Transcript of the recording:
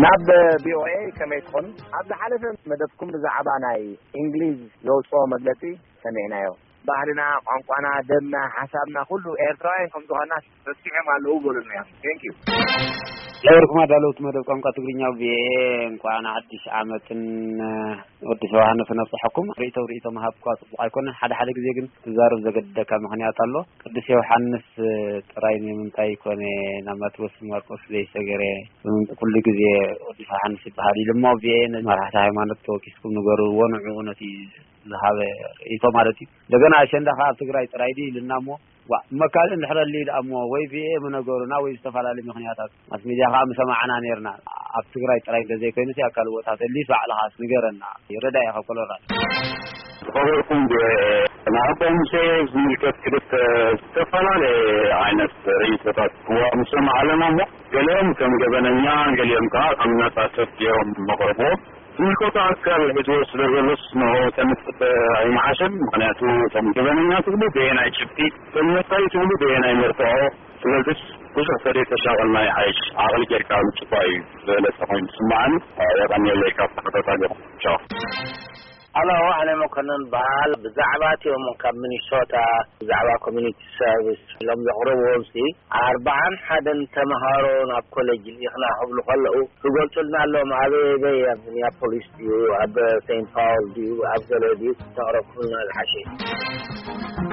ናብ ቪኦኤ ከመይ ትኾኑ? ኣብ ዝሓለፈ መደብኩም ብዛዕባ ናይ እንግሊዝ ዘውፅኦ መግለፂ ሰሚዕናዮ። ባህልና፣ ቋንቋና፣ ደምና፣ ሓሳብና ኩሉ ኤርትራውያን ከም ዝኾና ረሲዖም ኣለዉ በሉና እዮም። Thank you። ለበርኩም ኣዳለውቲ መደብ ቋንቋ ትግርኛ ቪኦኤ፣ እንኳዕ ንሓድሽ ዓመትን ወዲ ዮሃንስ ነብፅሐኩም። ርእይቶ ርእይቶ ምሃብ እኳ ፅቡቕ ኣይኮነን። ሓደ ሓደ ግዜ ግን ትዛረብ ዘገድደካ ምኽንያት ኣሎ። ቅዱስ ዮሃንስ ጥራይ ንምንታይ ኮነ ናብ ማቴዎስ ማርቆስ ዘይሰገረ? ኩሉ ግዜ ቅዱስ ዮሃንስ ይበሃል ኢሉ እሞ ቪኦኤ ነዚ መራሕቲ ሃይማኖት ተወኪስኩም ንገርዎ፣ ንዕኡ ነቲ ዝሃበ ርእይቶ ማለት እዩ። እንደገና ኣሸንዳ ከኣ ኣብ ትግራይ ጥራይ ድዩ ኢልና እሞ፣ ዋ፣ እሞ ካልእ እንድሕር ኣልዩ ደኣ እሞ ወይ ቪኦኤ ምነገሩና ወይ ዝተፈላለዩ ምኽንያታት ማስ ሚድያ ከኣ ምሰማዕና ነይርና። ኣብ ትግራይ ጥራይ እንተዘይኮይኑስ ኣብ ካልእ ቦታት ኣልዩስ ባዕልኻስ ንገረና። ይረዳእ ኢኻ ኮሎራዶ። ዝኸበርኩም ቪኦኤ፣ ንኣቦ ሙሴ ዝምልከት ክልተ ዝተፈላለየ ዓይነት ርእይቶታት እዋ ምሰማዕ ኣለና እሞ፣ ገሊኦም ከም ገበነኛ፣ ገሊኦም ከኣ ከም ነጻ ሰብ ገይሮም መቕርቦ። ዝምልከቶ ኣካል ሒዝዎ ስለ ዘሎስ ንኡ ተንጽፍ ኣይመሓሸን። ምኽንያቱ እቶም ገበነኛ ትብሉ በየናይ ጭብጢ፣ እቶም ነጻይ ትብሉ በየናይ መርትዖ። ስለዚስ ብዙሕ ተደይ ተሻቐልና ይሓይሽ፣ ዓቕሊ ጌርካ ምጭፋ እዩ ዝበለጸ ኮይኑ ዝስምዓኒ። የቐንየለይ ካብ ተኸታታሊኹም። ቻው። ኣሎ፣ ኣነ መኮነን በሃል። ብዛዕባ እቲኦም ካብ ሚኒሶታ ብዛዕባ ኮሚኒቲ ሰርቪስ ኢሎም ዘቕርብዎም ሲ ኣርባዓን ሓደን ተምሃሮ ናብ ኮሌጅ ልኢኽና ክብሉ ከለዉ ክገልጹልና ኣለዎም። ኣበይ ኣበይ? ኣብ ሚኒያፖሊስ ድዩ፣ ኣብ ሴንት ፓውል ድዩ፣ ኣብ ገለ ድዩ? ተቕረብኩልና ዝሓሸ እዩ።